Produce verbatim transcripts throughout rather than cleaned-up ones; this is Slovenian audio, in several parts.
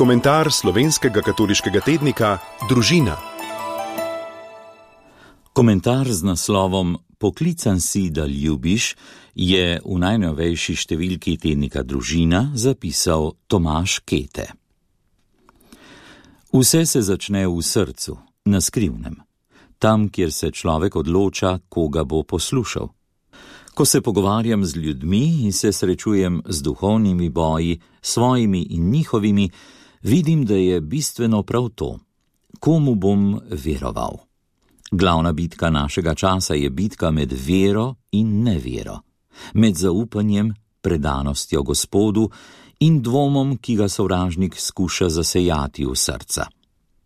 Komentar slovenskega katoliškega tednika Družina. Komentar z naslovom Poklican si, da ljubiš je v najnovejši številki tednika Družina zapisal Tomaž Kete. Vse se začne v srcu, na skrivnem, tam, kjer se človek odloča, koga bo poslušal. Ko se pogovarjam z ljudmi in se srečujem z duhovnimi boji, svojimi in njihovimi, vidim, da je bistveno prav to, komu bom veroval. Glavna bitka našega časa je bitka med vero in nevero, med zaupanjem, predanostjo Gospodu in dvomom, ki ga sovražnik skuša zasejati v srca.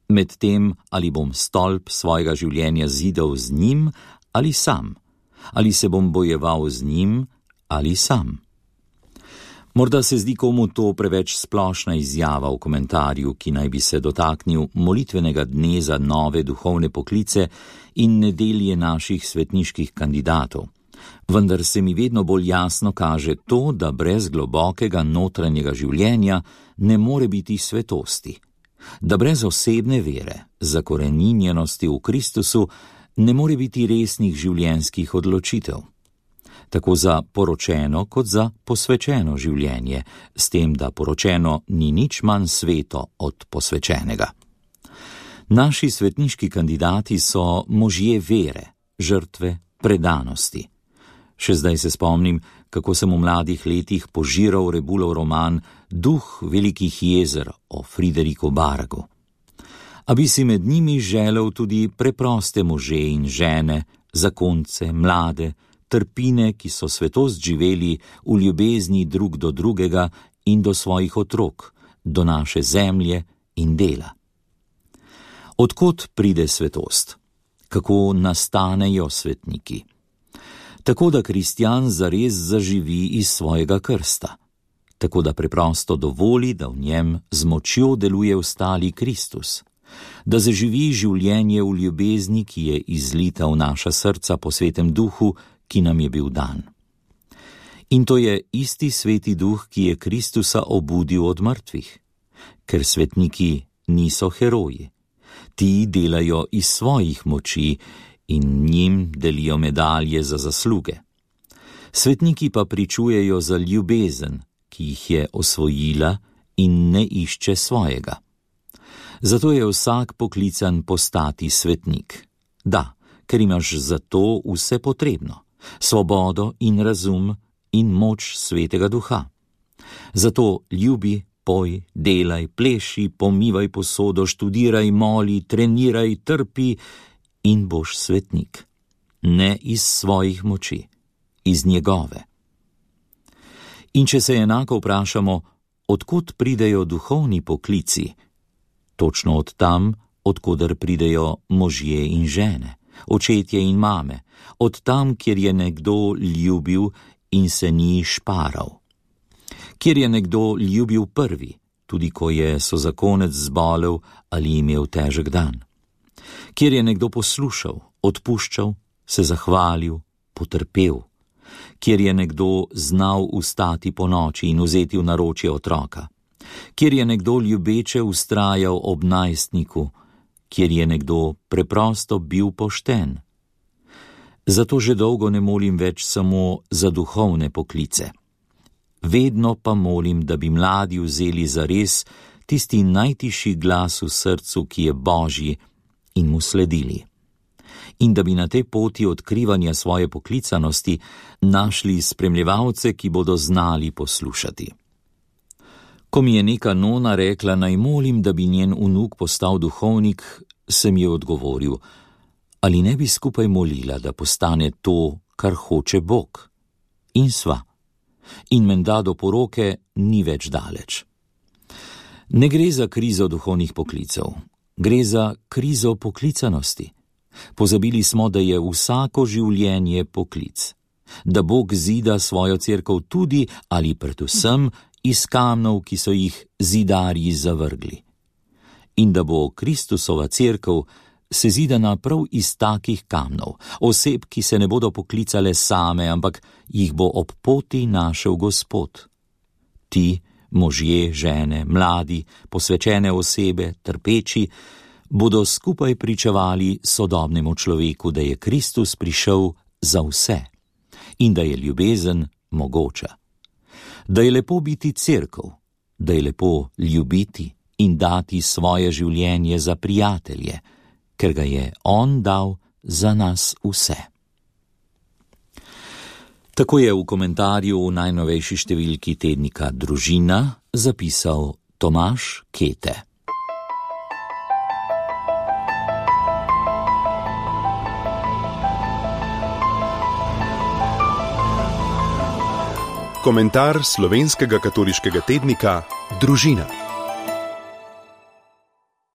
Med tem, ali bom stolp svojega življenja zidal z njim ali sam, ali se bom bojeval z njim ali sam. Morda se zdi komu to preveč splošna izjava v komentarju, ki naj bi se dotaknil molitvenega dne za nove duhovne poklice in nedelje naših svetniških kandidatov. Vendar se mi vedno bolj jasno kaže to, da brez globokega notranjega življenja ne more biti svetosti. Da brez osebne vere, zakoreninjenosti v Kristusu, ne more biti resnih življenjskih odločitev. Tako za poročeno kot za posvečeno življenje, s tem, da poročeno ni nič manj sveto od posvečenega. Naši svetniški kandidati so možje vere, žrtve, predanosti. Še zdaj se spomnim, kako sem v mladih letih požiral Rebulov roman Duh velikih jezer o Frideriku Baragu. A bi si med njimi želel tudi preproste može in žene, zakonce, mlade, trpine, ki so svetost živeli v ljubezni drug do drugega in do svojih otrok, do naše zemlje in dela. Odkot pride svetost? Kako nastanejo svetniki? Tako da kristjan zares zaživi iz svojega krsta, tako da preprosto dovoli, da v njem z močjo deluje ostali Kristus, da zaživi življenje v ljubezni, ki je izlita v naša srca po svetem duhu, ki nam je bil dan. In to je isti sveti duh, ki je Kristusa obudil od mrtvih, ker svetniki niso heroji. Ti delajo iz svojih moči in njim delijo medalje za zasluge. Svetniki pa pričujejo za ljubezen, ki jih je osvojila in ne išče svojega. Zato je vsak poklican postati svetnik. Da, ker imaš za to vse potrebno, svobodo in razum in moč svetega duha. Zato ljubi, poj, delaj, pleši, pomivaj posodo, študiraj, moli, treniraj, trpi in boš svetnik. Ne iz svojih moči, iz njegove. In če se enako vprašamo, odkot pridejo duhovni poklici, točno od tam, odkoder pridejo možje in žene, očetje in mame, od tam, kjer je nekdo ljubil in se ni šparal. Kjer je nekdo ljubil prvi, tudi ko je sozakonec zbolel ali imel težek dan. Kjer je nekdo poslušal, odpuščal, se zahvalil, potrpel. Kjer je nekdo znal vstati po noči in vzeti v naročje otroka. Kjer je nekdo ljubeče vztrajal ob najstniku, kjer je nekdo preprosto bil pošten. Zato že dolgo ne molim več samo za duhovne poklice. Vedno pa molim, da bi mladi vzeli zares tisti najtišji glas v srcu, ki je Božji, in mu sledili. In da bi na tej poti odkrivanja svoje poklicanosti našli spremljevalce, ki bodo znali poslušati. Ko mi je neka nona rekla, naj molim, da bi njen vnuk postal duhovnik, sem ji odgovoril, ali ne bi skupaj molila, da postane to, kar hoče Bog. In sva. In menda do poroke ni več daleč. Ne gre za krizo duhovnih poklicev, gre za krizo poklicanosti. Pozabili smo, da je vsako življenje poklic, da Bog zida svojo cerkev tudi ali predvsem iz kamnov, ki so jih zidarji zavrgli. In da bo Kristusova cerkev sezidana prav iz takih kamnov, oseb, ki se ne bodo poklicale same, ampak jih bo ob poti našel Gospod. Ti Možje, žene, mladi, posvečene osebe, trpeči, bodo skupaj pričevali sodobnemu človeku, da je Kristus prišel za vse in da je ljubezen mogoča. Da je lepo biti cerkev, da je lepo ljubiti in dati svoje življenje za prijatelje, ker ga je on dal za nas vse. Tako je v komentarju v najnovejši številki tednika Družina zapisal Tomaž Kete. Komentar slovenskega katoliškega tednika Družina.